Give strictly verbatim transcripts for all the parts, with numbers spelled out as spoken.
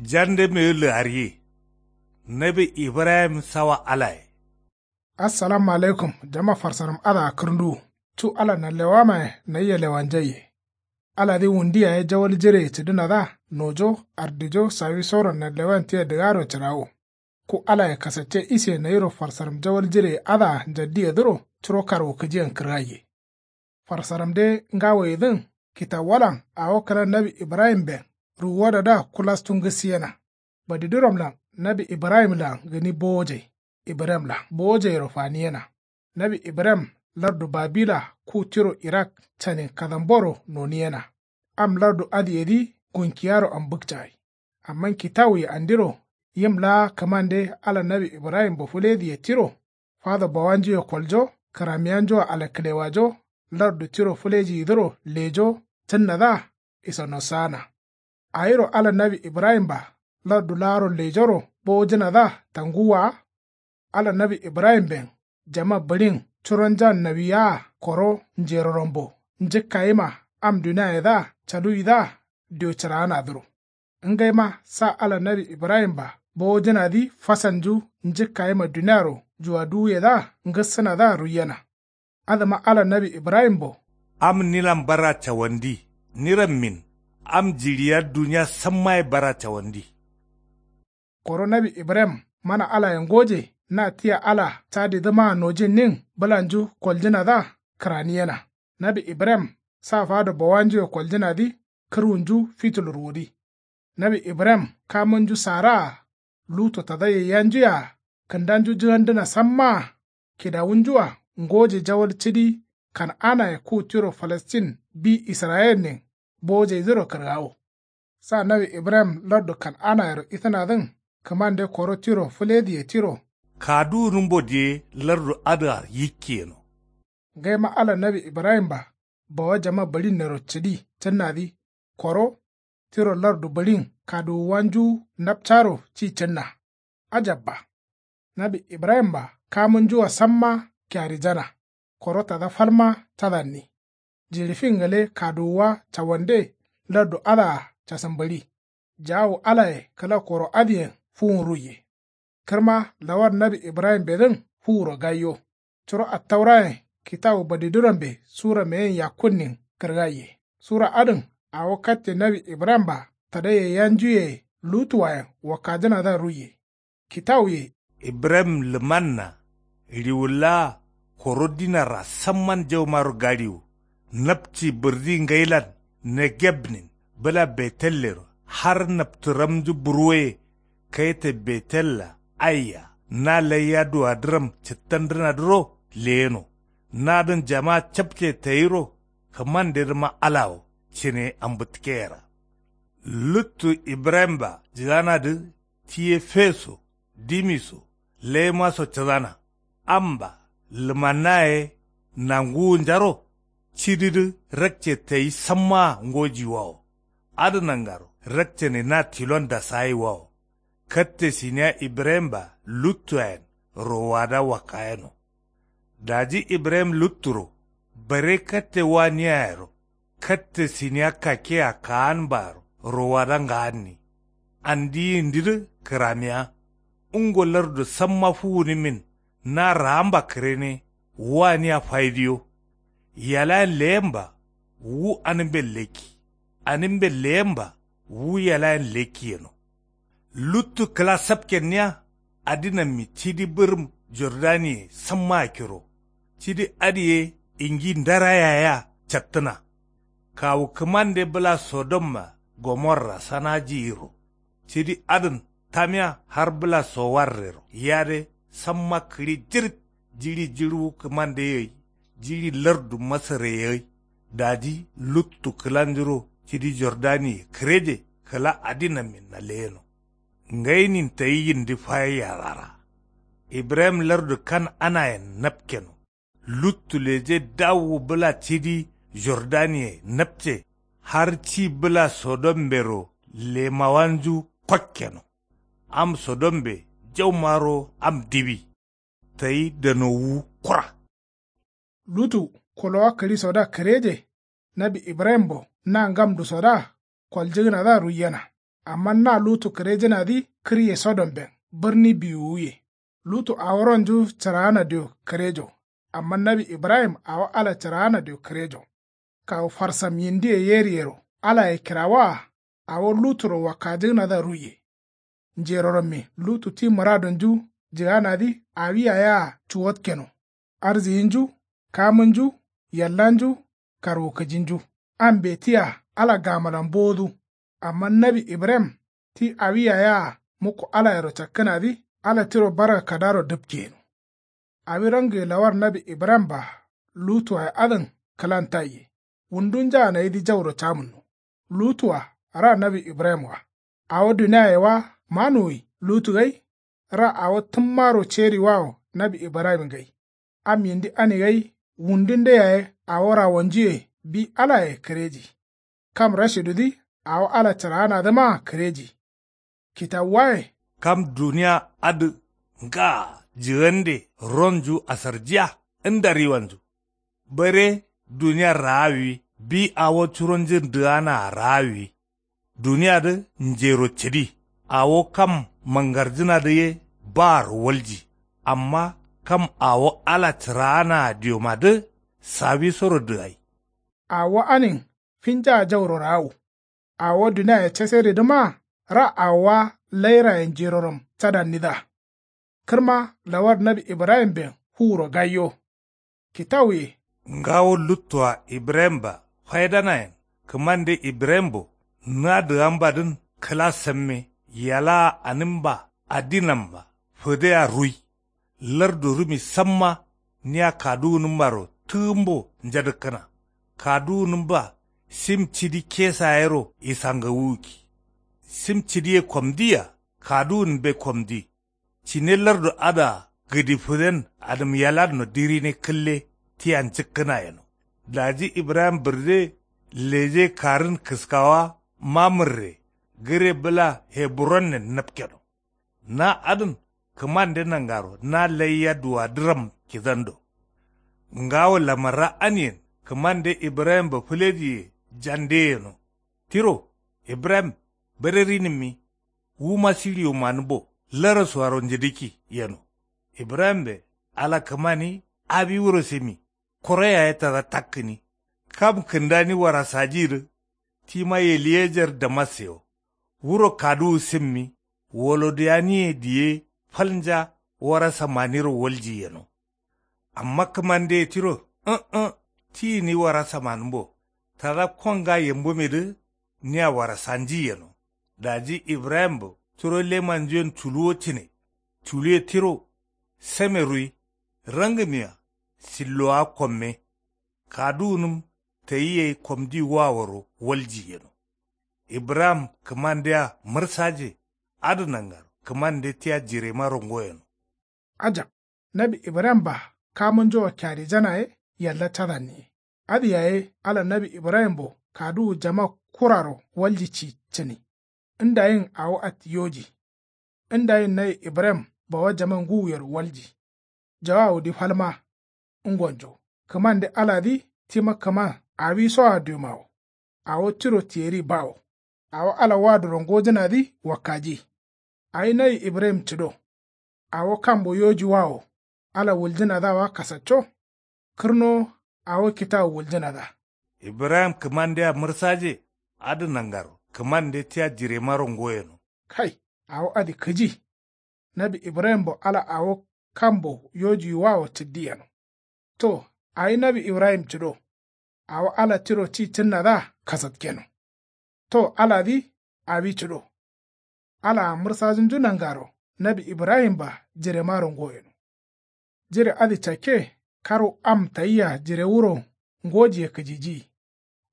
Jande mewu lǝgariye. Nawi ibrahim sawa alaye. Assalamu alaikum jama farsaram adǝa kǝrnduwu. Cu ala nanlewamaye nayia lewanjaiye. Aladǝ wundu yaye jawal jireye cǝdǝnadǝa nojo ardijo sawisoro nanlewan tia dǝgaro cǝrawo. Ku alaye kasacce ise nayiro farsaram jawal jireye adǝa njaddiyedǝro curo karwukǝjiyen kǝrgaiye. Farsaramde ngawoyedǝn kitawuwalan awo kǝla nawi ibrahimben ruwuwadadǝa kulastu ngǝssiyena. Badiduramlan nawi ibrahimlan gǝni bowojai. Ibrahimlan bowojairo faniyena. Nawi ibrahim lardu babila ku tiro irak canin kadamboro noniyena. Am lardu adǝyedǝ gunkiyaro ambǝkcagai. Amma kitawuye andiro yim laa kǝmande ala nawi ibrahimbo fǝlediye tiro fado bawanjuye koljo kǝramiyanjua alakǝlewajo lardu tiro fǝlejiyidǝro lejo cǝnnadǝa isanosaana. Awiro ala nawi ibrahimba lardu laaro lejoro bowojǝnadǝa tanguwwa wa. Ala nawi ibrahimben jama bǝɍin curonjan nawiyaa koro njerorambo njǝkkayima am duniayedǝa caluwidǝa dio cǝraanadǝro. Ngaima sa ala nawi ibrahimba bowojǝnadǝ fasalnju njǝkkayima duniaro juwaduwuyedǝa ngǝssǝnadǝa ruiyena. Adǝma ala nawi ibrahimbo. Am nilan bara cawandi nirammin am jiɍiya duniya sammaye bara cawandi. Koro nawi ibrahim mana alaye ngoje na tia ala cadidǝmaa nojinnin bǝlanju koljǝnadǝa kǝraniyena. Nawi ibrahim sa fado bawanjuye koljǝnadǝ kǝrwunju fitulur wudi. Nawi ibrahim kamunju saraa lutu tada yaiyanjuye-a kǝndanju jǝgandǝna sammaa kidawunju-a ngoje jawal cidi kan'anaye ku tiro falastin bi israyilnin bowojaidǝro kǝrgawo. Sa nawi ibrahim lardu kan'anayero isǝnadǝn kǝmande koro tiro fǝlediye tiro kaduwunǝmbo diye lardu adǝa yikkiyeno. Ngaima ala nawi ibrahimba bawa jama bǝɍinnero cǝdi cǝnnadǝ koro tiro lardu bǝɍin kaduwuwanju napcaro ci cǝnna. Ajabba. Nawi ibrahimba kamunjua samma kiarijana koro tada falma cadanni. Jiɍi fin gale kaduwuwa cawande lardu adǝa casǝmbǝɍi. Jaawu alaye kǝla koro adǝyen fuwun ruiye. Kǝrma lawar nawi ibrahimbedǝn fuwuro gaiyo. Curo attaurayen kitawu badidurambe sura meyen yakkunnin kǝrgaiye. Sura adǝn awo katte nawi ibrahimba tada yaiyanjuyeye lutuwayen wakkajǝnadǝa ruiye. Kitawuye. Ibrahim lǝmanna riwulla koro dinarra samman jaumaro gaɍiwu. Napci bǝrdi ngailan negebnin bǝla betellero har naptǝramju burwoye. Kaite betella aiya na laiya duwadǝram cǝttandǝnadǝro leyeno. Nadǝn jama capce tayiro kǝmandedǝma alawo cǝne ambǝtkeyera. Luttu ibrahimba jǝganadǝ tiye feso dimiso laimaso cǝdana. Amba lǝmannaye nanguwunjaro cididǝ rakce tayi sammaa ngojiwawo. Adǝ nangaro rakcene na tilon dasayiwawo. Katte siniya ibrahimba luttuayen rowada wakkayeno. Daji ibrahim lutturo bare katte waniyayero katte siniya kakkea kaanbaaro rowada ngaanni. Andi yindidǝ kǝramiya. Ngo lardu samma fuwunǝmin na raamba kǝrene waniya faidiyo. Yalayen leyemba wu anǝmben lekki. Anǝmben leyemba wu yalayen lekki yeno. Luttu kǝla sapkenniya adinammi cidi bǝrǝm jordaniye samma akkiro. Cidi adǝ ye ingi ndara yayea cattǝna. Kawu kǝmande bǝla sodomma gomorra sanajiyiro. Cidi adǝn tamiya har bǝla sowarrero yade samma kǝɍi jirit. Jiɍi jiɍuwu kǝmande gai jiɍi lardu masare gai. Daji luttu kǝlanjuro cidi jordaniye kǝreje kǝla adinamminna leyeno. Ngainin tayi yindi fayayyarara. Ibrahim lardu kan'anayen napkeno. Luttu leje dawu bǝla cidi jordaniye napce har ci bǝla sodombero lemawanju kokkeno. Am sodombe jaumaro am diwi. Tayi danowu kura. Lutu kolowa kǝɍisoda kǝreje nawi ibrahimbo na ngamdusodǝa koljǝgǝnadǝa ruiyena. Amma na lutu kǝrejǝnadǝ kǝrye sodomben bǝrni biwuwuye. Lutu awo ronju cǝraana dio kǝrejo. Amma nawi ibrahim awo ala cǝraana dio kǝrejo. Kawu farsam yindiye yeriyero alaye kirawaa awo luturo wakkajǝgǝnadǝa ruiye. Njeroramme lutu ti mǝradonju jǝganadǝ awi yaye-a cuwatkeno. Arziyinju, kamǝnju, yallanju, karwukǝjinju. Ambe tia ala gamalan bowodu. Amma nawi ibrahim ti awi yaye-a mukko alayero cakkǝnadǝ ala tiro barga kadaro dǝpkeyeno. Awi rangǝye lawar nawi ibrahim-a lutuwaye adǝn kǝlan taiye. Wundunjaa nayidǝ jauro camǝnno. Lutu-a ra nawi ibrahim-a. Awo duniaye wa manuwi lutu gai. Ra awo tǝmmaro ceriwawo nawi ibrahim gai. Am yindi ani gai wundunde yaye awo rawonjuye bi alaye kǝreji. Kam rashidudǝ awo ala cǝraanadǝmaa kǝreji. Kitawuwaye. Kam dunia adǝ ngaa jǝgande ronju asarjiya nda riwanju. Bare duniar raawiwi bi awo curonjun dǝganaa raawiwi. Duniadǝ njero cǝdi. Awo kam mangarjǝnadǝ ye baaro walji. Amma kam awo ala cǝraanaa diomadǝ sawisoro dǝgai. Awo anin finjaa jauro raawu. Awo duniaye caseridǝma ra awowa lairaye njeroram cadannidǝa. Kǝrma lawar nawi ibrahimben fuwuro gaiyo. Kitawuye. Ngawo luttoa ibrahim-a faidanayen kǝmande ibrahim-bo na dǝgambadǝn kǝla samme yalaa anǝmba adinamba fǝdea rui. Lardu rǝmi samma nia kaduwunǝmbaro tǝgǝmbo njadǝkkǝna. Kaduwunǝmba sim cidi kesa yero isangawuwukki. Sim cidiye komdiya kaduwunǝmbe komdi. Cine lardu adǝa gǝdi fǝden adǝm yalanno dirine kǝlle tia njǝkkǝna yeno. Daji ibrahim bǝrde leje karǝn kǝskawa mamǝrre gǝre bǝla heburonnen napkeno. Na adǝn kǝmande nangaro na laiya duwadǝram kidando. Ngawo lamarra aniyen kǝmande ibrahim-a fǝlejiye jande yeno. Tiro ibrahim bǝre rinǝmmi. Wuma siɍiyo manǝmbo larasuaro njǝdǝkki yeno. Ibrahimbe ala kǝmani awi wuro sǝmi. Koro yaye tada takkǝni. Kam kǝndani warasajidǝ tima yeliyejar damassewo. Wuro kaduwu sǝmmi. Woloduyaniye diye falnja warasa maniro walji yeno. Amma kǝmandeye tiro ǝ̃-ǝ̃ ti gǝni warasa manǝmbo. Tada konga yambumedǝ nia warasanji yeno. Daji ibrahimbo curo lemanjuyen culuwo cǝne. Culuwe tiro same ruwi. Rangǝmiya sillowa komme. Kaduwunǝm tayi gai komdi waworo walji yeno. Ibrahim kǝmandea mǝrsaje. Adǝ nangaro kǝmande tia jiremaro ngoyeno. Ajab. Nawi ibrahim-a kamǝnjoa kyarijana ye yalla cadanniye. Adǝ yaye ala nawi ibrahimbo kaduwu jama kuraro walji ci cǝni. Ndayin awo atti yoji. Ndayin nawi ibrahim bawa jaman ngǝwuyero walji. Jawawudǝ falma. Ngonjo kǝmande aladǝ tima kǝman awisoa diomawo. Awo tiro tiyeri bawo. Awo ala waduro ngojǝnadǝ wakkaji. Awi nawi ibrahim cǝdo. Awo kambo yoji wawo. Ala wuljǝnadǝa wa kasacco. Kǝrnowo awo kitawu wuljǝnadǝa. Ibrahim kǝmandea mǝrsaje. Adǝ nangaro kǝmande tia jiremaro ngoyeno. Kai. Awo adǝ kǝji. Nawi ibrahimbo ala awo kambo yojiwawo cǝddi yeno. To awi nawi ibrahim cǝdo. Awo ala tiro ti cǝnnadǝa kasatkeno. To aladǝ awi cǝdo. Alaa mǝrsajǝnju nangaro nawi ibrahim-a jiremaro ngoyeno. Jire adǝ cakke karwu am tayia jirewuro ngojiye kǝjijiyi.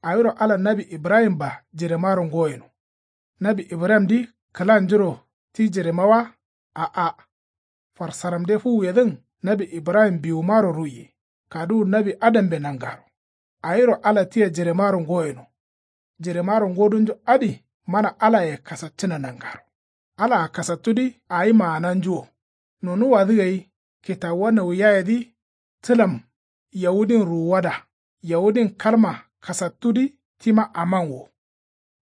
Awiro ala nawi ibrahim-a jiremaro ngoyeno. Nawi ibrahimdǝ kǝlanjuro ti jirema wa. A'a. Farsaramde fuwuyedǝn nawi ibrahim biwumaro ruiye. Kaduwu nawi adambe nangaro. Awiro ala tia jiremaro ngoyeno. Jiremaro ngodunju adǝ mana alaye kasaccǝna nangaro. Alaa kasattudǝ awi maananju wo. Nonuwwadǝ gai kitawuwa nauyayedǝ tǝlam yawudin ruwuwada. Yawudin kalma kasattudǝ tima aman wo.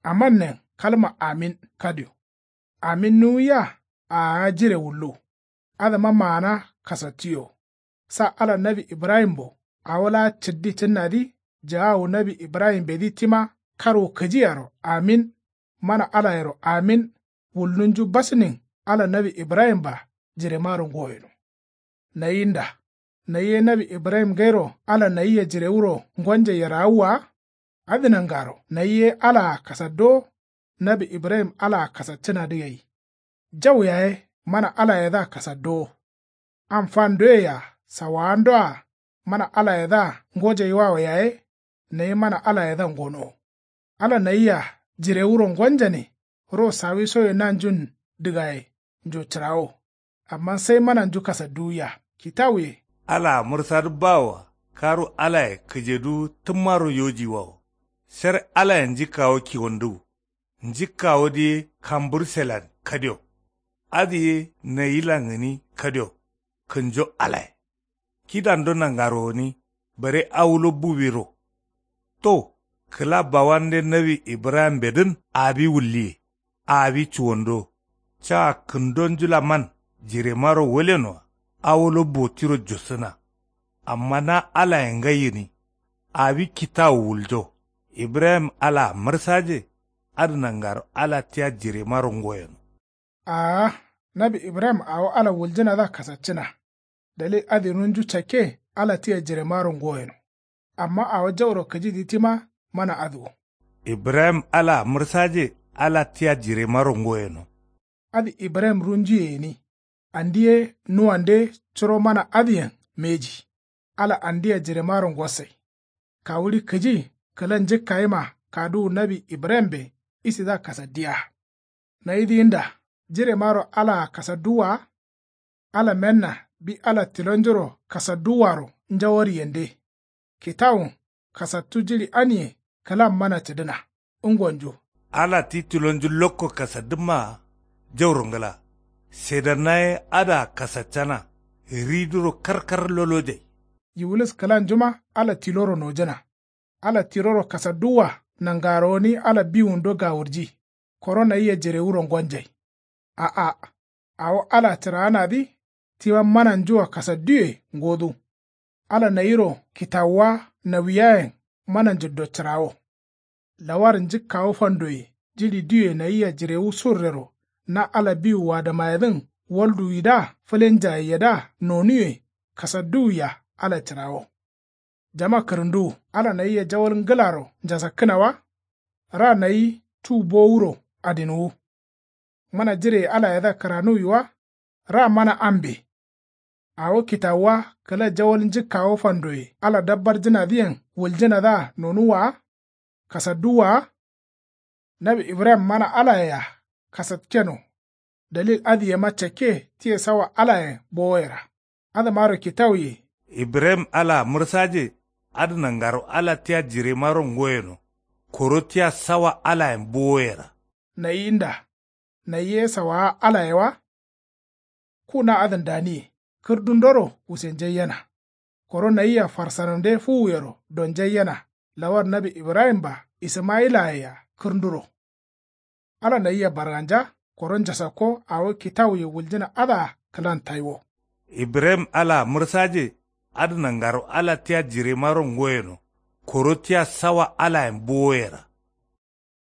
Amannen kalma amin kadio. Amin nuwiya aaa jire wullu. Adǝma maana kasattiyo. Sa ala nawi ibrahimbo awo laa cǝddi cǝnnadǝ jaawu nawi ibrahimbedǝ tima karwu kǝjiyaro amin. Mana alayero amin. Wulnunju basnin ala nawi ibrahimba jiremaro ngoyeno. Nayinda nayi ye nawi ibrahim gairo ala nayiya jirewuro ngonje yerawu wa? Adǝ nangaro nayi ye alaa kasadduwo. Nawi ibrahim alaa kasaccǝnadǝ gai. Jau yaye mana alayedǝa kasadduwo. Am fandoye-a sawawandoa mana alayedǝa ngojeyiwawo yaye. Nayi mana alayedǝa ngonowo. Ala nayia jirewuro ngonjane ro sawisoye nanjun dǝgaye. Njo cǝrawo. Amma sai mananju kasadduwuya kitawuye. Alaa mǝrsadǝ bawoa karu alaye kǝjeduwu tǝmmaro yojiwawo. Sher alaye njikkawo kiwonduwu. Njikkawodǝ ye kambǝrselan kadio. Adǝ ye nayilan gǝni kadio. Kǝnjo alaye kidando nangaro gǝni bare awulo buwiro. To kǝla bawande nawi ibrahimbedǝn awi wulliye. Awi cuwondo caa kǝndonjulaman jiremaro walenoa awulo botiro jussǝna. Amma na alaye ngai gǝni awi kitawu wuljo. Ibrahim alaa mǝrsaje. Adǝ nangaro ala tia jiremaro ngoyeno. Aa nawi ibrahim awo ala wuljǝnadǝa kasaccǝna. Dalil adǝ runju cakke ala tia jiremaro ngoyeno. Amma awo jauro kǝjidǝ tima mana adǝ wo. Ibrahim alaa mǝrsaje ala tia jiremaro ngoyeno. Adǝ ibrahim runjuye gǝni. Andi ye nuwande curo mana adǝyen mbeji. Ala andia jiremaro ngossai. Kawuɍi kǝji kǝla njǝkkayima kaduwu nawi ibrahimbe isidǝa kasaddiya. Nayidǝ yinda jiremaro alaa kasadduwwa wa? Ala menna bi ala tilonjuro kasadduwwaro njawariyende. Kitawun kasattu jiɍi aniye kǝlan mana cǝdǝna. Ngonju ala ti tilonju lokko kasaddǝmmaa. Jauro ngǝla sedana ye adǝa kasaccana. Riduro karkar lolojai. Yiwulis kǝlanjuma ala tiloro nojǝna. Ala tiloro kasadduwwa nangaro gǝni ala biwundo gawurji. Koro nayia jirewuro ngonjai. A'a awo alaa cǝraanadǝ tima mananjua kasadduye ngodu. Ala nayiro kitawuwa nawiyayen mananjuddo cǝrawo. Lawar njǝkkawo fandoye jiɍi diwe nayia jirewu surrero na ala biwu wadamayedǝn walduwidǝa fǝlenjayeiyedǝa nonuwe kasadduwia ala cǝrawo. Jama kǝrǝnduwu ala nayia jawal ngǝlaro njasakkǝna wa? Ra nayi cu bowuro adinwu. Mana jireye alayedǝa kǝranuwi wa? Ra mana ambe. Awo kitawuwa kǝla jawal njǝkkawo fandoye ala dabbarjǝnadǝyen wuljǝnadǝa nonuwwa wa? Kasadduwwa wa? Nawi ibrahim mana alayea kasatkeno. Dalil adǝ yema cakke tiye sawa alayen bowoyera. Adǝmaro kitawuye. Ibrahim alaa mǝrsaje. Adǝ nangaro ala tia jiremaro ngoyeno. Koro tia sawa alayen bowoyera. Nayinda nayi ye sawaa alaye wa? Ku na adǝn daniye kǝrdundoro wusenjaiyena. Koro nayia farsanonde fuwuyero donjaiyena. Lawar nawi ibrahimba isǝmayilayea kǝrnduro. Ala nayia barganja koro njasakko awo kitawuye wuljǝna adǝa kǝlan taiwo. Ibrahim alaa mǝrsaje. Adǝ nangaro ala tia jiremaro ngoyeno. Koro tia sawa alayen bowoyera.